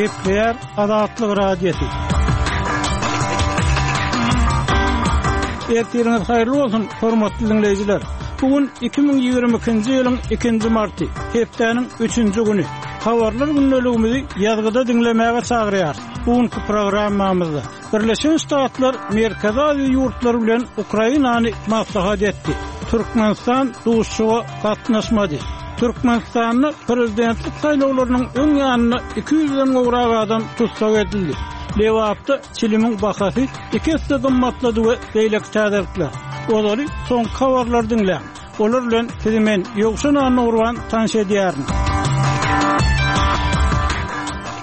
Gepleýär Azatlyk Radiosy. Ertiriňiz haýyrly bolsun, hormatly diňleýjiler! Bu gün 2022-nji ýylyň ikinji marty, hepdäniň üçünji güni. Habarlar gündeligimizi ýazgyda diňlemäge çagyrýarys. Bu günki programmamyzda Birleşen Ştatlar Merkezi Aziýa ýurtlary bilen Ukrainany maslahat etdi. Türkmenistan duşuşyga gatnaşmady. Türkmenistanda prezidentlik saýlawlarynyň öň ýanynda 200-den gowrak adam tussag edildi. Lebapda çilimiň bahasy iki esse gymmatlady we beýleki täzelikler. Ozaly soňky habarlary diňläň. Olar bilen sizi men, Ýowşan Annagurban tanyş edýärin.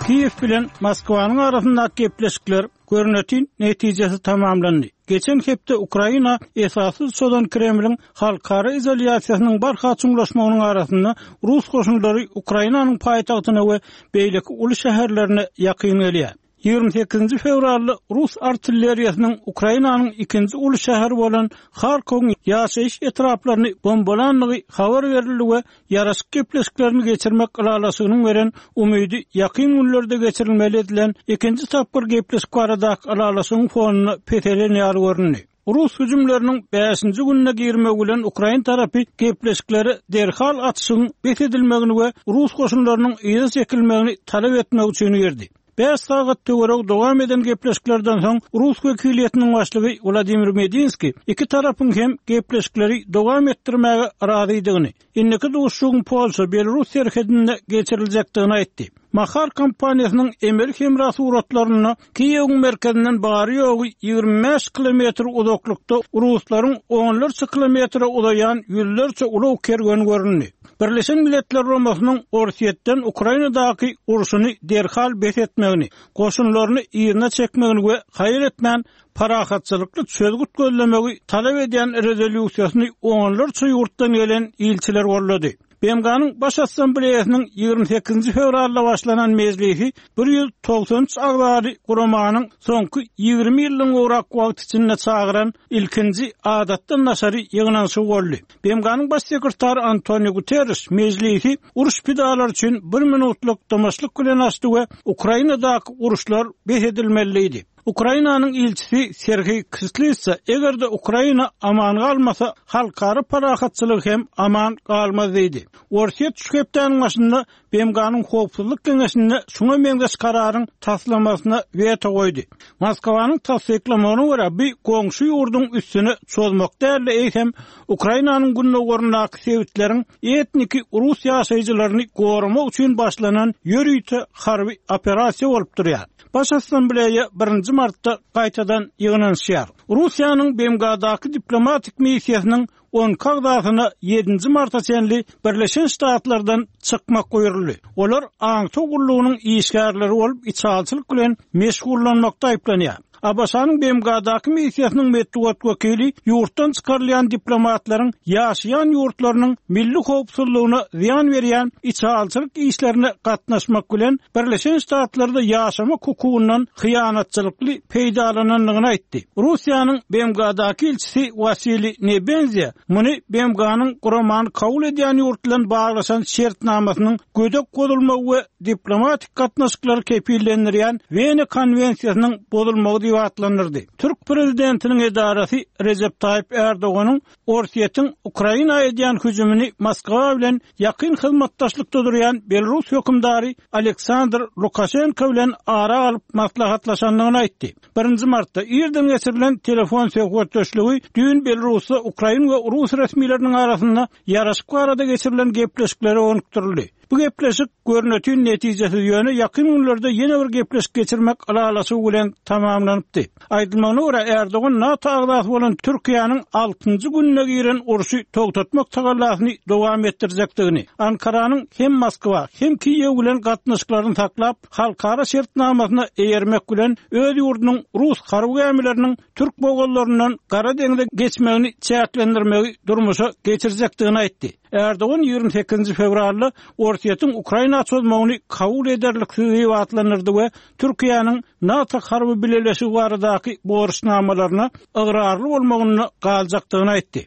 Kiýew bilen Moskwanyň arasyndaky gepleşikler görnetin netijesiz tamamlandy. Geçen hepde Ukraina esassyz çozan Kremliň halkara izolýasiýasynyň barha çuňlaşmagynyň arasynda rus goşunlary Ukrainanyň paýtagtyna we beýleki uly şäherlerine ýakyn gelýär. 28-nji fewralda rus artilleriýasynyň Ukrainanyň ikinji uly şäheri bolan Harkowyň ýaşaýyş etraplaryny bombalandygy habar berildi we ýaraşyk gepleşiklerini geçirmek ylalaşygynyň beren umydy ýakyn günlerde geçirilmeli edilen ikinji tapgyr gepleşik baradaky ylalaşygyň fonunda peselen ýaly göründi. Rus hüjümleriniň bäşinji gününe girmegi bilen ukrain tarapy gepleşiklere derhal atyşygyň bes edilmegini we rus goşunlarynyň yza çekilmegini talap etmek üçin girdi. Bäş sagat töweregi dowam eden gepleşiklerden soň rus wekiliýetiniň başlygy Wladimir Medinskiý iki tarapyň hem gepleşikleri dowam etdirmäge razydygyny, Indiki duşuşygyň Polşa-Belarus serhedinde geçiriljekdigini aýtdy. Maxar kompaniýasynyň emeli hemra suratlarynda Kiýewiň merkezinden bary-ýogy 25 kilometr uzaklykda ruslaryň onlarça kilometre uzaýan ýüzlerçe ulag kerweni göründi. Birleşen Milletler Guramasynyň Orsýetden Ukrainadaky urşuny derhal bes etmegini, goşunlaryny yzyna çekmegini we haýal etmän parahatçylykly çözgüt gözlemegi talap edýän rezolýusiýasyny onlarça ýurtdan gelen ilçiler goldady. BMG-niň Baş Assambleýasynyň 28-nji fewralda başlanan mejlisi 193 agzaly guramanyň soňky 20 ýyldan gowrak wagt içinde çagyran ilkinji adatdan daşary ýygnanyşygy boldy. BMG-niň Baş sekretary Antoniu Guterriş mejlisi uruş pidalary üçin bir minutlyk dymyşlyk bilen açdy we Ukrainadaky uruşlar bes edilmeli diýdi. Ukrainanyň ilçisi Serhiý Kislitsa, eger-de Ukraina aman galmasa, halkara parahatçylygy hem aman galmaz diýdi. Orsýet şu hepdäniň başynda BMG-niň Howpsuzlyk Geňeşinde şuňa meňzeş kararyň taslamasyna weto goýdy. Moskwanyň tassyklamagyna görä, bu goňşy ýurduň üstüne çozmak däl-de, eýsem, Ukrainanyň gündogaryndaky sebitleriň etniki rus ýaşaýjylaryny goramak üçin başlanan ýörite harby operasiýa bolup durýar. Baş Assambleýa birinji martda gaýtadan ýygnanyşýar. Russiýanyň BMG-daky diplomatik missiýasynyň on iki agzasyna ýedinji marta çenli Birleşen Ştatlardan çykmak buýruldy. Olar aňtaw gullugynyň işgärleri bolup, içalyçylyk bilen meşgullanmakda aýyplanýar. ABŞ-nyň BMG-daky missiýasynyň metbugat wekili ýurtdan çykarylýan diplomatlaryň ýaşaýan ýurtlarynyň milli howpsuzlygyna zyýan berýän içalyçylyk işlerine gatnaşmak bilen Birleşen Ştatlarda ýaşamak hukugyndan hyýanatçylykly peýdalanandygyny aýtdy. Russiýanyň BMG-daky ilçisi Wasiliý Nebenzýa muny BMG-niň guramany kabul edýän ýurt bilen baglaşan şertnamasynyň gödek bozulmagy we diplomatik gatnaşyklary kepillendirýän Wena konwensiýasynyň bozulmagy diýip atlandyrdy. Türk prezidentiniň edarasy Rejep Taýyp Erdoganyň Orsýetiň Ukraina edýän hüjümini Moskwa bilen ýakyn hyzmatdaşlykda durýan belarus hökümdary Aleksandr Lukaşenko bilen ara alyp maslahatlaşandygyny aýtdy. Birinji martda irden geçirilen telefon söhbetdeşligi düýn Belarusda ukrain we rus resmileriniň arasynda ýaraşyk barada geçirilen gepleşiklere gönükdirildi. Bu gepleşik görnetin netijesiz, ýöne ýakyn günlerde ýene bir gepleşik geçirmek ylalaşygy bilen tamamlanypdy. Aýdylmagyna görä, Erdogan NATO agzasy bolan Türkiýäniň altynjy gününe giren urşy togtatmak tagallasyny dowam etdirjekdigini, Ankaranyň hem Moskwa, hem Kiýew bilen gatnaşyklaryny saklap, halkara şertnamasyna eýermek bilen öz ýurdunyň rus harby gämileriniň türk bogazlaryndan Gara deňze geçmegini çäklendirmegi durmuşa geçirjekdigini aýtdy. Erdogan 28-nji fewralda Orsýetiň Ukraina çozmagyny kabul ederliksiz diýip atlandyrdy we Türkiýäniň NATO harby bileleşigi baradaky borçnamalaryna ygrarly bolmagynda galjakdygyny aýtdy.